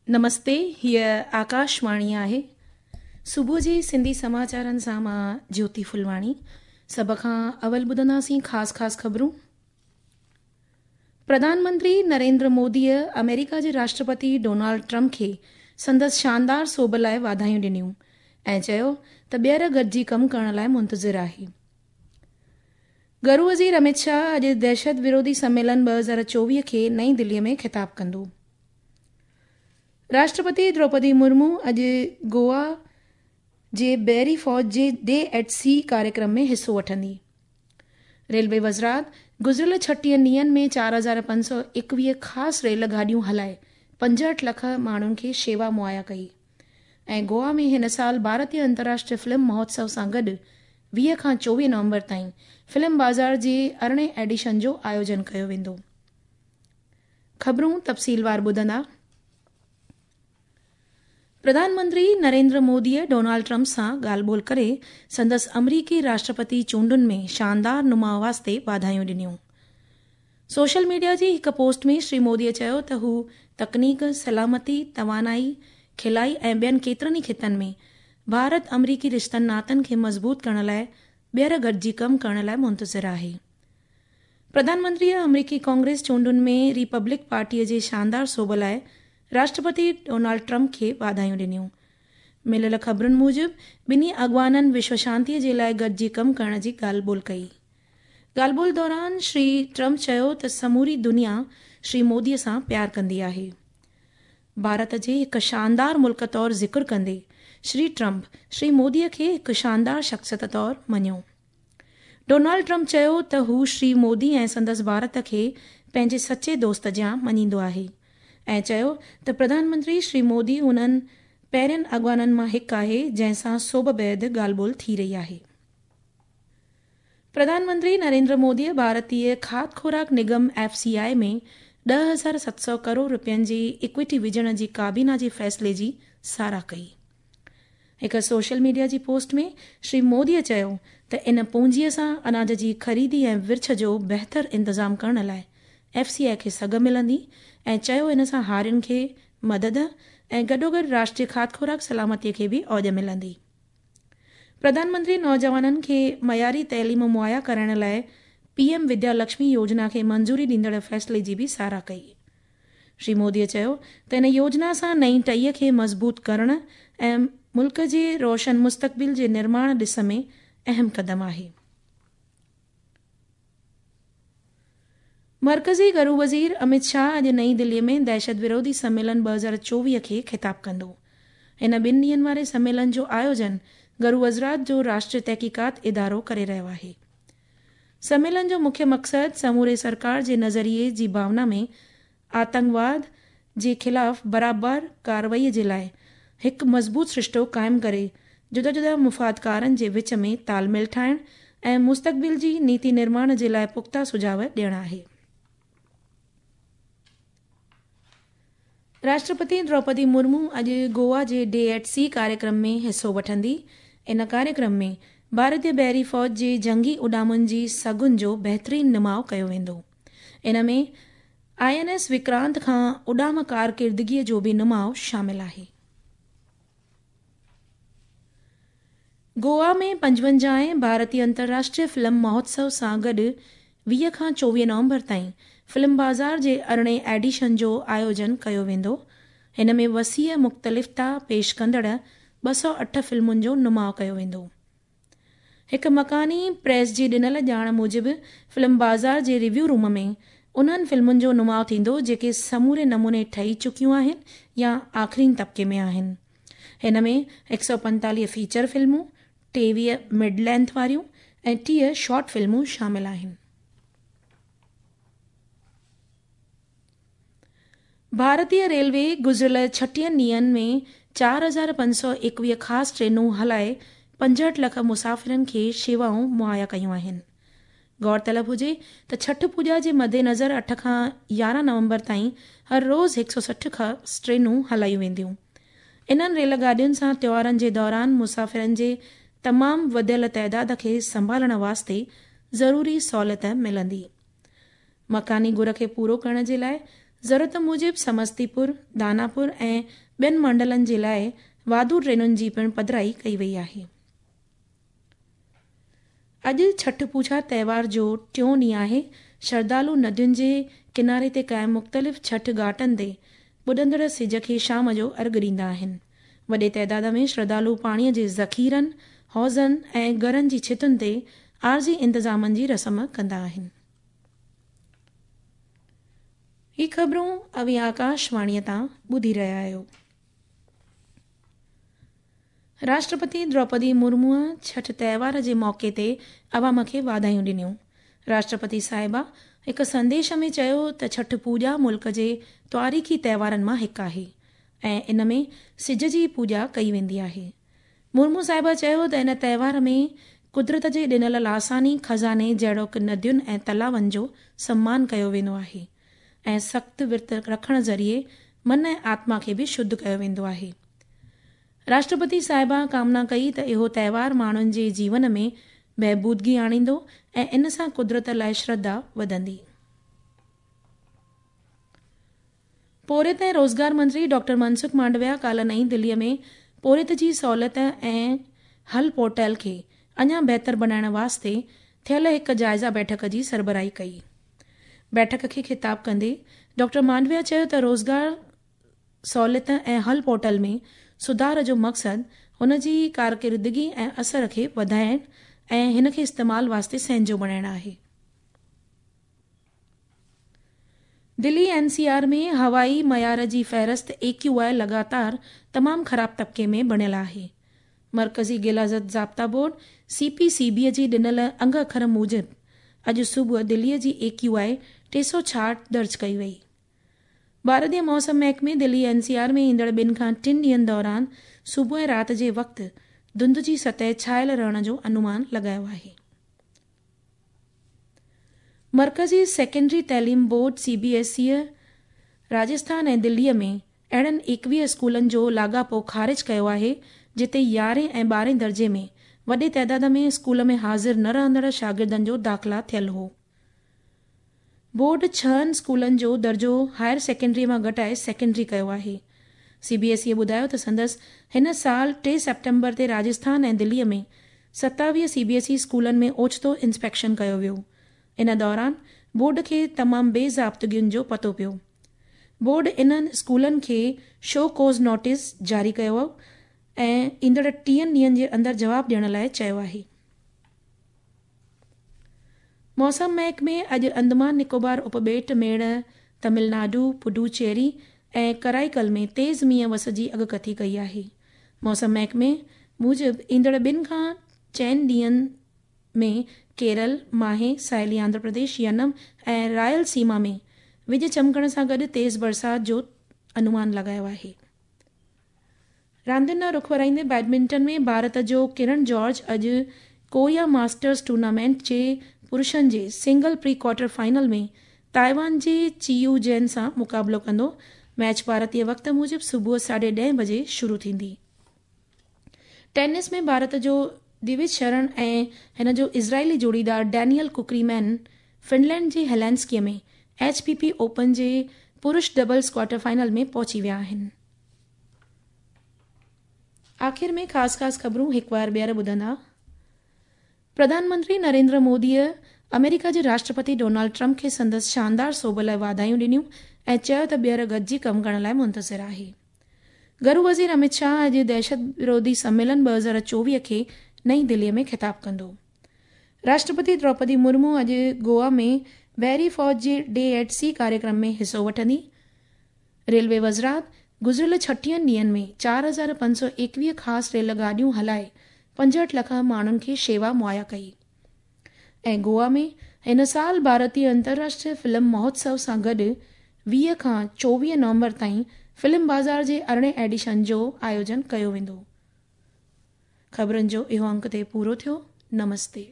نمستي هيء آڪاشواڻي آهي. صبح جي سنڌي سماچارن سان مان جيوتي ڦلواڻي. سڀ کان اول ٻڌنداسين خاص خاص خبرون. پرڌان منتري نريندر موديء آمريڪا جي راشٽرپتي ڊونالڊ ٽرمپ کي سندس شاندار سوڀ لاء واڌايون ڏنيون ۽ چيو ته ٻيهر گڏجي ڪم ڪرڻ لاء منتظر آهي. گهرو وزير امت شاهه اڄ دهشت وروڌي سميلن 2024 کي نئين دلي ۾ خطاب ڪندو. راشٽرپتي دروپدي مرمو اڄ گوا جي بحري فوج جي ڊي ايٽ سي ڪاريڪرم ۾ حصو وٺندي. ريلوي وزارت گذريل 36 ڏينهن ۾ 4521 خاص ريل گاڏيون هلائي 65 لک ماڻهن کي شيوا مهيا ڪئي ۽ گوا ۾ هن سال ڀارتيه انترراشٽريه فلم مهوتسو سان گڏ 20 کان 24 نومبر تائين فلم بازار جي 18 ايڊيشن جو آيوجن ڪيو ويندو. خبرون تفصيلوار ٻڌندا. پرڌان منتري نريندر موديء ڊونالڊ ٽرمپ سان ڳالهه ٻولهه ڪري سندس آمريڪي راشٽرپتي چونڊن ۾ شاندار نماء واسطي واڌايون ڏنيون. سوشل ميڊيا جي هڪ پوسٽ ۾ شري موديء چيو ته هو تڪنيڪ، سلامتي، توانائي، خلائي ۽ ٻين ڪيترن ئي خطن ۾ ڀارت آمريڪي رشتن ناتن کي مضبوط ڪرڻ لاء ٻيهر گڏجي ڪم ڪرڻ لاء منتظر آهي. پرڌان منتريء آمريڪي ڪانگريس چونڊن ۾ ريپبلڪ پارٽيء جي شاندار سوڀ لاء راشٽرپتي ڊونالڊ ٽرمپ کي واڌايون ڏنيون. مليل خبرن موجب ٻنهي اڳواڻن وشو شانتيء جي لاء گڏجي ڪم ڪرڻ جي ڳالهه ٻولهه ڪئي. ڳالهه ٻولهه دوران شري ٽرمپ چيو ته سموري دنيا شري موديء سان پيار ڪندي آهي. ڀارت جي هڪ شاندار ملڪ طور ذڪر ڪندي شري ٽرمپ شري موديء کي هڪ شاندار شخصيت طور مڃيو. ڊونالڊ ٽرمپ چيو ته هو شري مودي ۽ سندس ڀارت کي پنهنجي سچي دوست جيان مڃيندو آهي ۽ چيو ته پرڌان منتري شري مودي انهن پهرين اڳواڻن مان هڪ آهي جنهن سان سوڀ بعد ڳالهه ٻولهه ٿي رهي آهي. پرڌان منتري نريندر موديء ڀارتيه کاڌ خوراڪ نگم، ايف سي آء، ۾ 10,700 ڪروڙ رپين جي ايڪوئٽي وجهڻ جي ڪابينا جي فيصلي جي ساراهه ڪئي. هڪ سوشل ميڊيا جي پوسٽ ۾ شري موديء چيو ته ان پونجيء سان اناج جي خريدي ۽ ورڇ جو بهتر انتظام ڪرڻ لاء ايف سي آء کي سگهه ملندي ۽ چيو ان سان هارين کي مدد ۽ گڏوگڏ راشٽريه کاڌ خوراڪ سلامتي کي به اوڄ ملندي. پرڌان منتري نوجوانن کي معياري تعليم مهيا ڪرائڻ لاء پي ايم وديا لڪشمي يوجنا کي منظوري ڏيندڙ فيصلي جي به ساراهه ڪئي. شري مودي چيو ته ان يوجنا سان نئين ٽهيء کي مضبوط ڪرڻ ۽ ملڪ جي روشن مستقبل جي نرماڻ ڏس ۾ اهم قدم آهي. مرڪزي گهرو وزير امت شاهه اڄ نئين دلي ۾ دهشت وروڌي سميلن 2024 کي خطاب ڪندو. هن ٻن ڏينهن واري سميلن جو آيوجن گهرو وزارت جو راشٽريه تحقيقات ادارو ڪري رهيو آهي. سميلن جو مکيه مقصد سموري سرڪار جي نظريي جي ڀاونا ۾ آتنڪواد جي خلاف برابر ڪارروائي جي لاء هڪ مضبوط سرشتو قائم ڪري جدا جدا مفادڪارن جي وچ ۾ تال ميل ٺاهڻ ۽ مستقبل جي نيتي نرماڻ جي لاء پختا سجهاء ڏيڻ آهي. راشٽرپتي دروپدي مرمو اڄ گوا جي ڊي ايٽ سي ڪاريڪرم ۾ حصو وٺندي. ان ڪاريڪرم ۾ ڀارتي بحري فوج جي جنگي اڏامن جي سگهن جو بهترين نماء ڪيو ويندو. ان ۾ I N S Vikrant کان اڏام ڪارڪردگيء جو به نماء شامل آهي. گوا ۾ 55هين ڀارتي انترراشٽريه فلم مهوتسو سان گڏ 20 کان 24 نومبر تائين فلم بازار جي 18هين ايڊيشن جو آيوجن ڪيو ويندو. هن ۾ وسيع مختلفتا پيش ڪندڙ 208 فلمن جو نماء ڪيو ويندو. هڪ مڪاني پريس جي ڏنل ڄاڻ موجب فلم بازار جي ريويو روم ۾ انهن فلمن جو نماء ٿيندو جيڪي سموري نموني ٺهي چڪيون آهن يا آخرين طبقي ۾ آهن. هن ۾ 145 فيچر فلمون، 23 مڊ لينٿ واريون ۽ 30 شارٽ فلمون شامل آهن. ڀارتي ريلوي گذريل 36 ڏينهن ۾ 4521 خاص ٽرينون هلائي 65 لک مسافرن کي شيوائون مهيا ڪيون آهن. غور طلب هجي ته ڇٺ پوڄا جي مدنظر 8 کان 11 نومبر تائين هر روز 160 خاص ٽرينون هلايون وينديون. انهن ريل گاڏين سان تيوهارن جي دوران مسافرن جي تمام وڌيل تعداد کي سنڀالڻ واسطي ضروري سهولت ملندي. مڪاني گهر کي پورو ڪرڻ جي لاء ضرورت موجب سمستيپور، داناپور ۽ ٻين منڊلن جي لاء واڌو ٽرينن جي پڻ پڌرائي ڪئي وئي آهي. اڄ ڇٺ پوڄا تهوار جو ٽيون ڏينهن آهي. شرڌالو ندين جي ڪناري تي قائم مختلف ڇٺ گهاٽن تي ٻڏندڙ سج کي شام جو ارگهه ڏيندا آهن. وڏي تعداد ۾ شرڌالو پاڻي جي ذخيرن، حوضن ۽ گهرن جي ڇتن تي عارضي انتظامن جي رسم ڪندا آهن. هي خبرون اوهين آڪاشواڻيء تان ٻڌي رهيا آهيو. راشٽرپتي دروپدي مرموء ڇٺ تهوار جي موقعي تي عوام کي واڌايون ڏنيون. راشٽرپتي صاحبه هڪ سنديش ۾ چيو ته ڇٺ پوڄا ملڪ جي تواريخي تهوارن مان هڪ آهي ۽ ان ۾ سج جي پوڄا ڪئي ويندي آهي. مرمو صاحبه چيو ته ان تهوار ۾ قدرت جي ڏنل لاثاني خزاني جهڙوڪ ندين ۽ تلاون جو سمان ڪيو ويندو آهي ۽ سخت ورت رکڻ ذريعي من ۽ آتما کي به شڌ ڪيو ويندو آهي. راشٽرپتي صاحبه ڪامنا ڪئي ته اهو تهوار ماڻهن جي جيون ۾ بهبودگي آڻيندو ۽ ان سان قدرت لاء شرڌا وڌندي. پورهيت ۽ روزگار منتري ڊاڪٽر منسک مانڊويا ڪالهه نئين دهلي ۾ پورهيت جي سهولت ۽ حل پورٽل کي اڃا بهتر بڻائڻ واسطي ٿيل هڪ جائزه بيٺڪ جي سربراهي ڪئي. بيٺڪ کي خطاب ڪندي ڊاڪٽر مانڊويا چيو ته روزگار سهولت ۽ حل پورٽل ۾ سڌار جو مقصد هن جي ڪارڪردگي ۽ اثر کي وڌائڻ ۽ هن کي استعمال واسطي سهنجو بڻائڻ آهي. دلي اين سي آر ۾ هوائي معيار جي فهرست اي ڪيو آء لڳاتار تمام خراب طبقي ۾ بڻيل آهي. مرڪزي غلاظت ضابطا بورڊ، سي پي سي بي، جي ڏنل انگ اکر موجب اڄ صبح دلي جي اي ڪيو آء 366 درج ڪئي وئي. ڀارتي موسم محڪمي دلي اين سي آر ۾ ايندڙ ٻن کان ٽن ڏينهن دوران صبح ۽ رات جي وقت ڌنڌ جي سطح ڇانيل رهڻ جو انومان لڳايو آهي. مرڪزي سيڪنڊري تعليم بورڊ، سي بي ايس اي، راجسٿان ۽ دلي ۾ اهڙن 21 اسڪولن جو لاڳاپو خارج ڪيو آهي جتي يارهين ۽ ٻارهين درجي ۾ وڏي تعداد ۾ اسڪول ۾ حاضر نه رهندڙ شاگردن جو داخلا ٿيل هو. بورڊ ڇهن اسڪولن جو درجو هائر سيڪنڊري مان گهٽائي سيڪنڊري ڪيو آهي. سي بي ايس اي ٻڌايو ته سندس هن سال 3 سيپٽمبر تي راجسٿان ۽ دلي ۾ 27 سي بي ايس اي اسڪولن ۾ اوچتو انسپيڪشن ڪيو ويو. ان دوران بورڊ کي تمام بي ضابطگين جو پتو پيو. بورڊ انهن اسڪولن کي شو ڪاز نوٽيس جاري ڪيو ۽ ايندڙ 30 ڏينهن جي اندر جواب ڏيڻ لاء چيو آهي. موسم محڪمي اڄ اندمان نڪوبار اپٻيٽ ميڙ، تمل ناڊو، پڊوچيري ۽ ڪرائيڪل ۾ تيز مينهن وس جي اڳڪٿي ڪئي آهي. موسم محڪمي موجب ايندڙ ٻن کان چئن ڏينهن ۾ ڪيرل، ماهي، ساحلي آنڌرا پرديش، ينم ۽ رائل سيما ۾ وڄ چمڪڻ سان گڏ تيز برسات جو انومان لڳايو آهي. راندين ڏانهن رخ ورائيندي بيڊمنٽن ۾ ڀارت جو ڪرن جارج اڄ ڪوريا ماسٽرز ٽورنامينٽ جي پرشن جي single pre quarter final ۾ Taiwan جي چي يو جين سان مقابلو ڪندو. ميچ ڀارتي وقت موجب صبح ساڍي ڏهين بجي شروع ٿيندي. ٽينس ۾ ڀارت جو دوج شرڻ ۽ هن جو اسرائيلي جوڙيدار ڊينيئل ڪوڪريمين فنلينڊ جي Helsinki ۾ H P P open جي پرش ڊبلز ڪوارٽر فائنل ۾ پهچي ويا آهن. آخر ۾ خاص خاص خبرون هڪ وار ٻيهر ٻڌندا. پرڌان منتري نريندر موديء آمريڪا جي راشٽرپتي ڊونالڊ ٽرمپ کي سندس شاندار سوڀ لاء واڌايون ڏنيون ۽ چيو ته ٻيهر گڏجي ڪم ڪرڻ لاء منتظر آهي. گهرو وزير امت شاهه اڄ دهشت وروڌي سميلن 2024 کي نئين دهلي ۾ خطاب ڪندو. راشٽرپتي دروپدي مرمو اڄ گوا ۾ بحري فوج جي ڊي ايٽ سي ڪاريڪرم ۾ حصو وٺندي. ريلوي وزارت گذريل ڇٽيهن ڏينهن ۾ 4521 خاص ريل گاڏيون هلائي 65 لک ماڻهن کي شيوا مهيا ڪئي ۽ گوا ۾ هن سال ڀارتي انترراشٽريه فلم مهوتسو سان گڏ 20 کان 24 نومبر تائين فلم بازار جي ارڙهين ايڊيشن جو آيوجن ڪيو ويندو. خبرن جو اهو انڪ تي پورو ٿيو. نمستي.